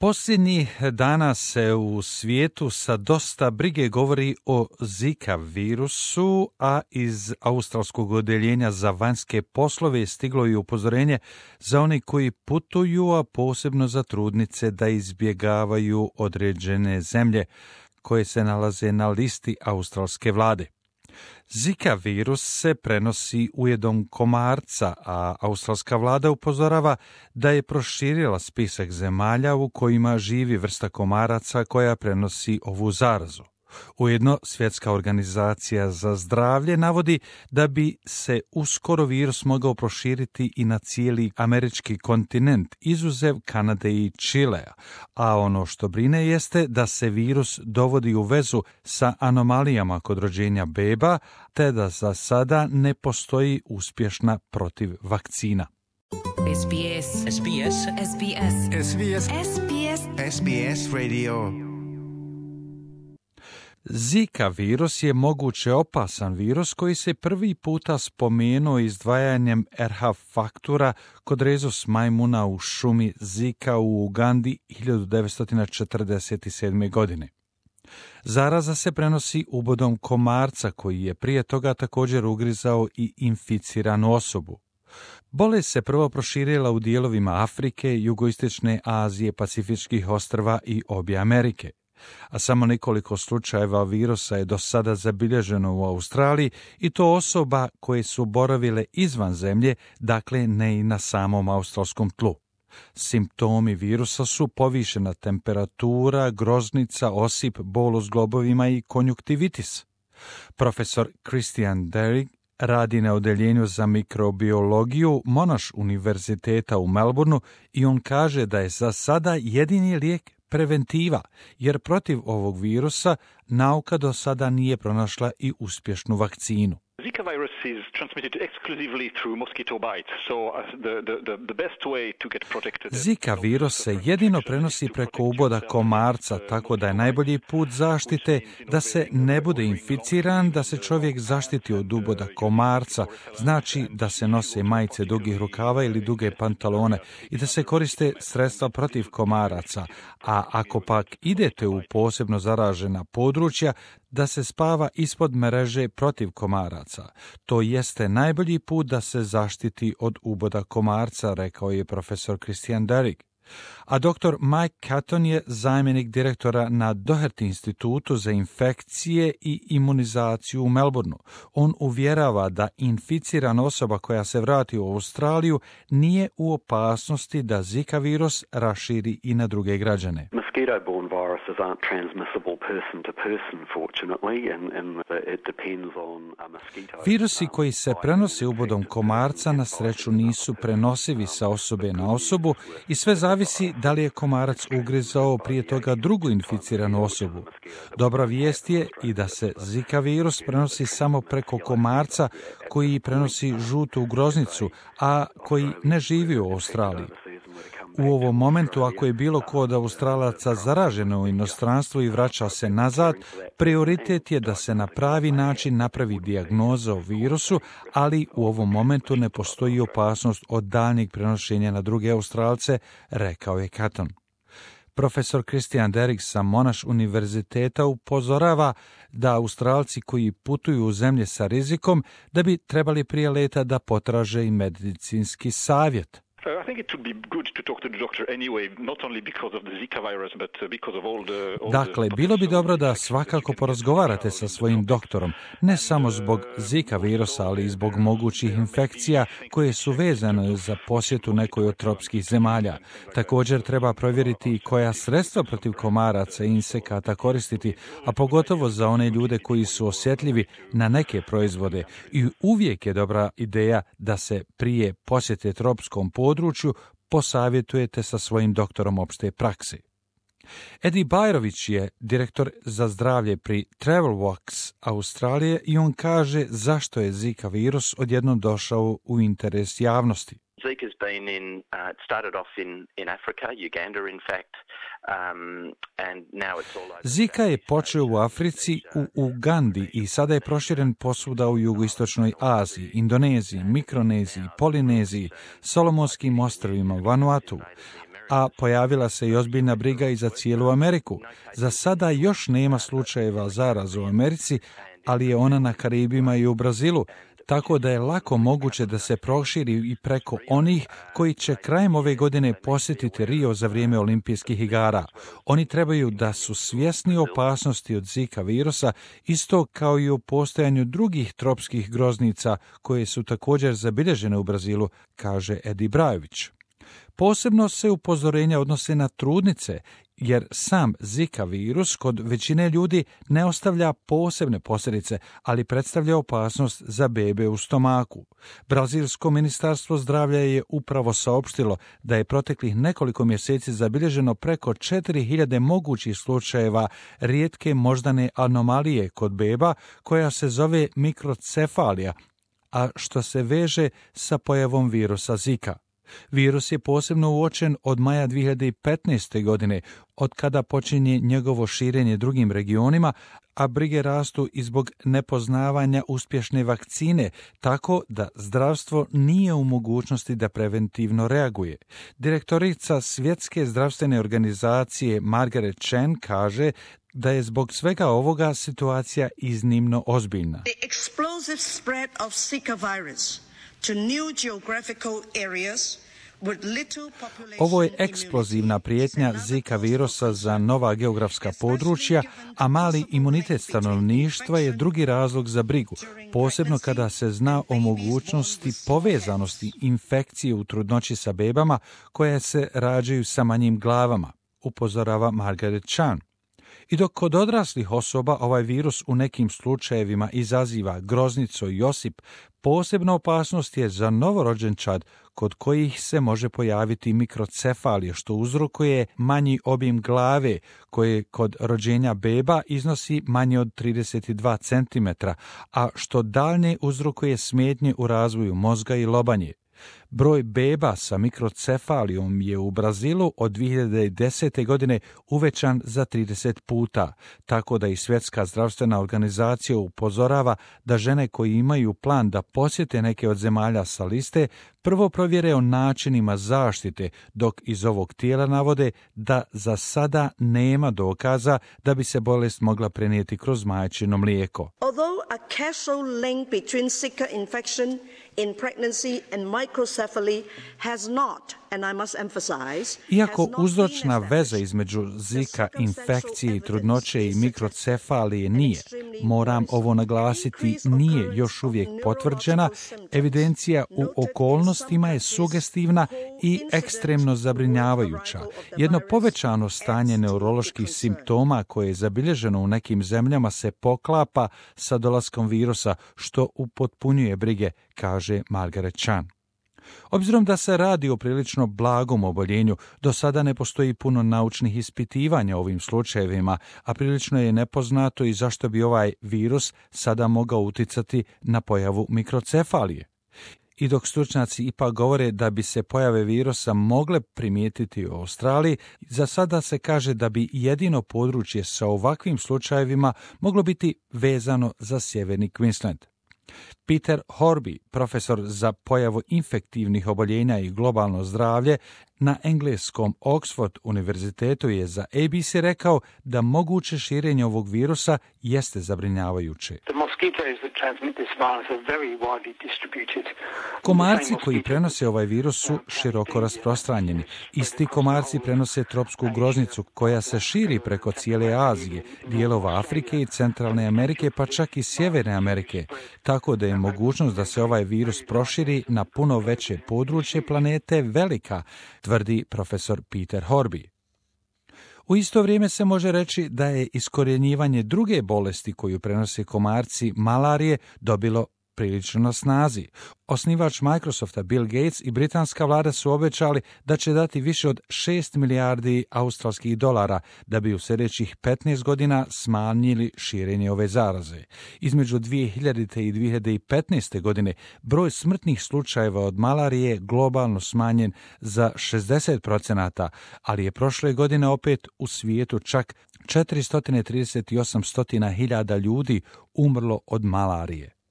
Posljednjih dana se u svijetu sa dosta brige govori o Zika virusu, a iz australskog odjeljenja za vanjske poslove stiglo je upozorenje za one koji putuju, a posebno za trudnice da izbjegavaju određene zemlje koje se nalaze na listi australske vlade. Zika virus se prenosi ujedom komarca, a australska vlada upozorava da je proširila spisak zemalja u kojima živi vrsta komaraca koja prenosi ovu zarazu. Ujedno, Svjetska organizacija za zdravlje navodi da bi se uskoro virus mogao proširiti i na cijeli američki kontinent, izuzev Kanade i Čilea, a ono što brine jeste da se virus dovodi u vezu sa anomalijama kod rođenja beba, te da za sada ne postoji uspješna protiv vakcina. SBS SBS SBS SBS SBS SBS Radio. Zika virus je moguće opasan virus koji se prvi puta spomenuo izdvajanjem RH faktura kod rezus majmuna u šumi Zika u Ugandi 1947. godine. Zaraza se prenosi ubodom komarca koji je prije toga također ugrizao i inficiranu osobu. Bolest se prvo proširila u dijelovima Afrike, jugoistočne Azije, Pacifičkih ostrva i obje Amerike. A samo nekoliko slučajeva virusa je do sada zabilježeno u Australiji i to osoba koje su boravile izvan zemlje, dakle ne i na samom australskom tlu. Simptomi virusa su povišena temperatura, groznica, osip, bol u zglobovima i konjuktivitis. Profesor Christian Derrick radi na odjeljenju za mikrobiologiju Monash univerziteta u Melbourneu i on kaže da je za sada jedini lijek preventiva, jer protiv ovog virusa nauka do sada nije pronašla i uspješnu vakcinu. Zika virus is transmitted exclusively through mosquito bites, so the best way to get protected. Zika virus se jedino prenosi preko uboda komarca, tako da je najbolji put zaštite da se ne bude inficiran, da se čovjek zaštiti od uboda komarca, znači da se nose majice dugih rukava ili duge pantalone i da se koriste sredstva protiv komaraca, a ako pak idete u posebno zaražena područja, da se spava ispod mreže protiv komaraca. To jeste najbolji put da se zaštiti od uboda komarca, rekao je profesor Christian Derrick. A dr. Mike Catton je zamjenik direktora na Doherty institutu za infekcije i imunizaciju u Melbourneu. On uvjerava da inficirana osoba koja se vrati u Australiju nije u opasnosti da Zika virus raširi i na druge građane. Mosquito-borne viruses aren't transmissible person to person, fortunately, and it depends on a mosquito. Virusi koji se prenose ubodom komarca na sreću nisu prenosivi sa osobe na osobu i sve zavisi da li je komarac ugrizao prije toga drugu inficiranu osobu. Dobra vijest je i da se Zika virus prenosi samo preko komarca koji prenosi žutu groznicu, a koji ne živi u Australiji. U ovom momentu, ako je bilo ko od Australaca zaraženo u inostranstvu i vraća se nazad, prioritet je da se na pravi način napravi dijagnoza o virusu, ali u ovom momentu ne postoji opasnost od daljnjeg prenošenja na druge Australce, rekao je Catton. Profesor Christian Derrick sa Monash univerziteta upozorava da Australci koji putuju u zemlje sa rizikom da bi trebali prije leta da potraže i medicinski savjet. I think it would be good to talk to the doctor anyway, not only because of the Zika virus, but because of all the Dakle, bilo bi dobro da svakako porazgovarate sa svojim doktorom, ne samo zbog Zika virusa, ali i zbog mogućih infekcija koje su vezane za posjetu nekoj od tropskih zemalja. Također treba provjeriti koja sredstva protiv komaraca i insekata koristiti, a pogotovo za one ljude koji su osjetljivi na neke proizvode. I uvijek je dobra ideja da se prije posjete tropskom području posavjetujete sa svojim doktorom opšte prakse. Eddie Bajrović je direktor za zdravlje pri Travelworks Australije i on kaže zašto je Zika virus odjednom došao u interes javnosti. Zika's been it started off in Africa, Uganda in fact, and now it's all over. Zika je počeo u Africi, u Ugandi i sada je proširen posvuda u jugoistočnoj Aziji, Indoneziji, Mikroneziji, Polineziji, Solomonskim ostrvima, Vanuatu. a pojavila se i ozbiljna briga i za cijelu Ameriku. Za sada još nema slučajeva zaraze u Americi, ali je ona na Karibima i u Brazilu, tako da je lako moguće da se proširi i preko onih koji će krajem ove godine posjetiti Rio za vrijeme olimpijskih igara. Oni trebaju da su svjesni opasnosti od Zika virusa, isto kao i o postojanju drugih tropskih groznica koje su također zabilježene u Brazilu, kaže Edi Brajović. Posebno se upozorenja odnose na trudnice, jer sam Zika virus kod većine ljudi ne ostavlja posebne posljedice, ali predstavlja opasnost za bebe u stomaku. Brazilsko ministarstvo zdravlja je upravo saopštilo da je proteklih nekoliko mjeseci zabilježeno preko 4000 mogućih slučajeva rijetke moždane anomalije kod beba koja se zove mikrocefalija, a što se veže sa pojavom virusa Zika. Virus je posebno uočen od maja 2015. godine, od kada počinje njegovo širenje drugim regionima, a brige rastu i zbog nepoznavanja uspješne vakcine, tako da zdravstvo nije u mogućnosti da preventivno reaguje. Direktorica Svjetske zdravstvene organizacije Margaret Chan kaže da je zbog svega ovoga situacija iznimno ozbiljna. The explosive spread of Zika virus to new geographical areas. Ovo je eksplozivna prijetnja Zika virusa za nova geografska područja, a mali imunitet stanovništva je drugi razlog za brigu, posebno kada se zna o mogućnosti povezanosti infekcije u trudnoći sa bebama koje se rađaju sa manjim glavama, upozorava Margaret Chan. I dok kod odraslih osoba ovaj virus u nekim slučajevima izaziva groznicu i osip, posebna opasnost je za novorođenčad kod kojih se može pojaviti mikrocefalija, što uzrokuje manji obim glave koje kod rođenja beba iznosi manje od 32 cm, a što daljnje uzrokuje smetnje u razvoju mozga i lobanje. Broj beba sa mikrocefalijom je u Brazilu od 2010. godine uvećan za 30 puta, tako da i Svjetska zdravstvena organizacija upozorava da žene koji imaju plan da posjete neke od zemalja sa liste prvo provjere o načinima zaštite, dok iz ovog tijela navode da za sada nema dokaza da bi se bolest mogla prenijeti kroz majčino mlijeko. Although a causal link between Zika infection in pregnancy and microcephaly has not, and I must emphasize, iako uzročna veza između Zika infekcije i trudnoće i mikrocefalije nije, moram ovo naglasiti, nije još uvijek potvrđena, evidencija u okolnostima je sugestivna i ekstremno zabrinjavajuća. Jedno povećano stanje neuroloških simptoma koje je zabilježeno u nekim zemljama se poklapa sa dolaskom virusa, što upotpunjuje brige, kaže Margaret Chan. Obzirom da se radi o prilično blagom oboljenju, do sada ne postoji puno naučnih ispitivanja o ovim slučajevima, a prilično je nepoznato i zašto bi ovaj virus sada mogao uticati na pojavu mikrocefalije. I dok stručnjaci ipak govore da bi se pojave virusa mogle primijetiti u Australiji, za sada se kaže da bi jedino područje sa ovakvim slučajevima moglo biti vezano za sjeverni Queensland. Peter Horby, profesor za pojavu infektivnih oboljenja i globalno zdravlje na engleskom Oxford univerzitetu, je za ABC rekao da moguće širenje ovog virusa jeste zabrinjavajuće. Komarci koji prenose ovaj virus su široko rasprostranjeni. Isti komarci prenose tropsku groznicu koja se širi preko cijele Azije, dijelova Afrike i Centralne Amerike, pa čak i Sjeverne Amerike, tako da je mogućnost da se ovaj virus proširi na puno veće područje planete velika, tvrdi profesor Peter Horby. U isto vrijeme se može reći da je iskorjenjivanje druge bolesti koju prenose komarci, malarije, dobilo prilično na snazi. Osnivač Microsofta Bill Gates i britanska vlada su obećali da će dati više od 6 milijardi australskih dolara da bi u sljedećih 15 godina smanjili širenje ove zaraze. Između 2000. i 2015. godine broj smrtnih slučajeva od malarije globalno smanjen za 60%, ali je prošle godine opet u svijetu čak 438.000 ljudi umrlo od malarije.